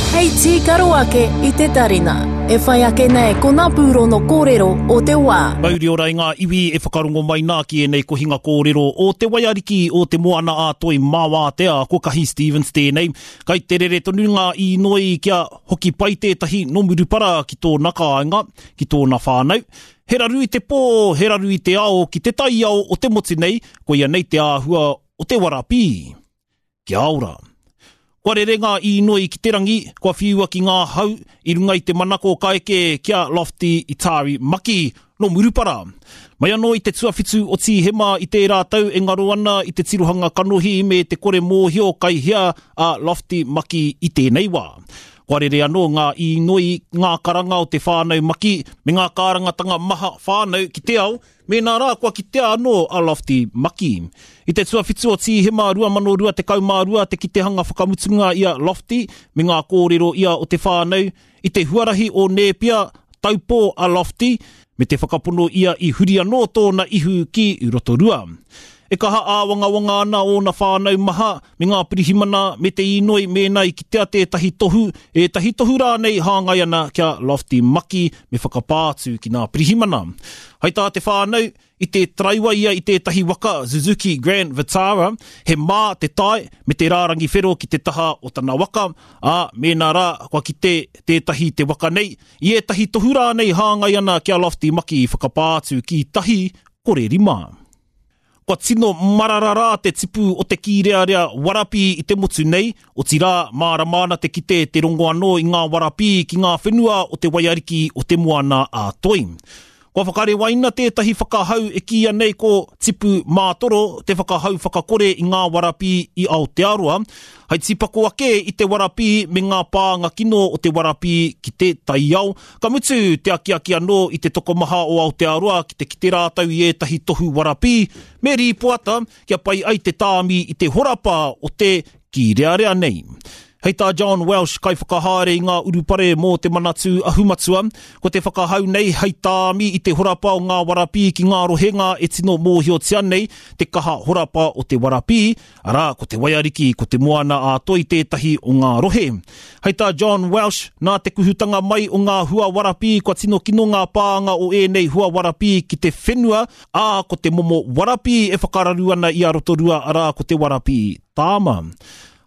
Hei tīkaro ake i te tarina. E whai ake nei ko ngā pūrono kōrero o te wā. Mauri ora i ngā iwi e whakarongo mai nā ki ēnei kohinga kōrero o Te Waiariki o Te Moana-a-Toi Māwātea, ko Kahi Stevens tēnei. Kai te rere tonu ngā īnoi kia hoki pai tētahi nō Murupara ki tōna kāinga, ki tōna whānau. He raru i te pō, he raru i te ao ki te taiao o te motu nei, koia nei te āhua o te warapī. Kia ora. Kua rere ngā īnoi ki te rangi, kua whiua ki ngā hau i runga i te manako ka eke ki a Lofty Itari Maki nō Murupara. Mai anō i te tuawhitu o Tīhema i tērā tau e ngaro ana i te tirohanga kanohi me te kore mōhio kai hea a Lofty Maki i tēnei wā. Kua rere anō ngā īnoi, ngā karanga o te whānau Maki me ngā kārangatanga maha whānau ki te ao Mēnā rā kua kitea anō a Lofty Maki. I te tuawhitu o Tīhema 2022 te kitehanga whakamutunga i a Lofty me ngā kōrero ia o te whānau i te huarahi o Nēpia, taupō a Lofty, me te whakapono ia i huri anō tōna ihu ki Rotorua. E kaha āwangawanga ana ōna whānau maha me ngā pirihimana me te īnoi mēnā i kitea tētahi tohu, ētahi tohu rānei hāngai ana ki a Lofty Maki me whakapā atu ki ngā pirihimana. Hai tā te whānau, i te taraiwa ia i tētahi waka Suzuki Grand Vitara, he mā te tae me te rārangi whero ki te taha o tana waka, ā, mēnā rā kua kite tētahi te waka nei, i ētahi tohu rānei hāngai ana ki a Lofty Maki i whakapā atu ki tahi, kore rima. Kua tino marara rā te tipu o te kīrearea warapī i te motu nei, otirā, mārama ana te kite te rongo anō i ngā warapī ki ngā whenua o te waiariki o Te Moana a Toi. Kua whakarewaina tētahi whakahau e kīia nei ko Tipu Mātoro te whakahau whakakore i ngā warapī i Aotearoa, hai tīpako ake i te warapī me ngā pānga kino o te warapī ki te taiao, Ka mutu te akiaki anō i te tokomaha o Aotearoa ki te kite rātou i ētahi tohu warapī me rīpoata kia pai ai te tāmi i te horapa o te kīrearea nei. Hei tā John Welsh, kaiwhakahaere i ngā urupare mō te Manatū Ahu Matua, ko te whakahau nei hei tāmi i te horapa o ngā warapī ki ngā rohenga e tino mōhiotia nei te kaha horapa o te warapī, Arā, ko Te Waiariki, ko Te Moana a Toi tētahi o ngā rohe. Hei tā John Welsh, nā te kuhutanga mai o ngā hua warapī kua tino kino ngā pānga o ēnei hua warapī ki te whenua, ā, ko te momo warapī e whakararu ana i a Rotorua arā ko te warapī tāma.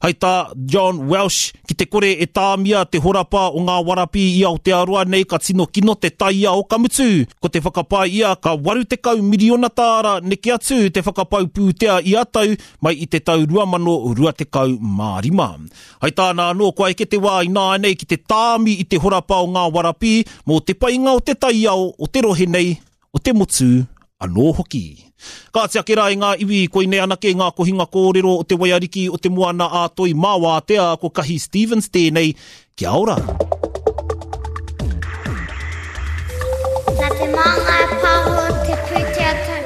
Hei tā John Welsh, ki te kore e tāmia te horapa o ngā warapī i Aotearoa nei ka tino kino te taiao ka mutu, ko te whakapae ia ka 80 miriona tāra neke atu te whakapau pūtea ia tau mai i te tau 2025. Hei tāna anō, kua eke te wā ināianei ki te tāmi i te horapa o ngā warapī mō te painga o te taiao o te rohe nei, o te motu anō hoki. Kāti ake rā e ngā iwi, koinei anake ngā kohinga kōrero o te waiariki o te Moana ā Toi mā Wātea, ko Kahi Stevens tēnei, kia ora! Nā Te Māngai Pāho te pūtea tautoko.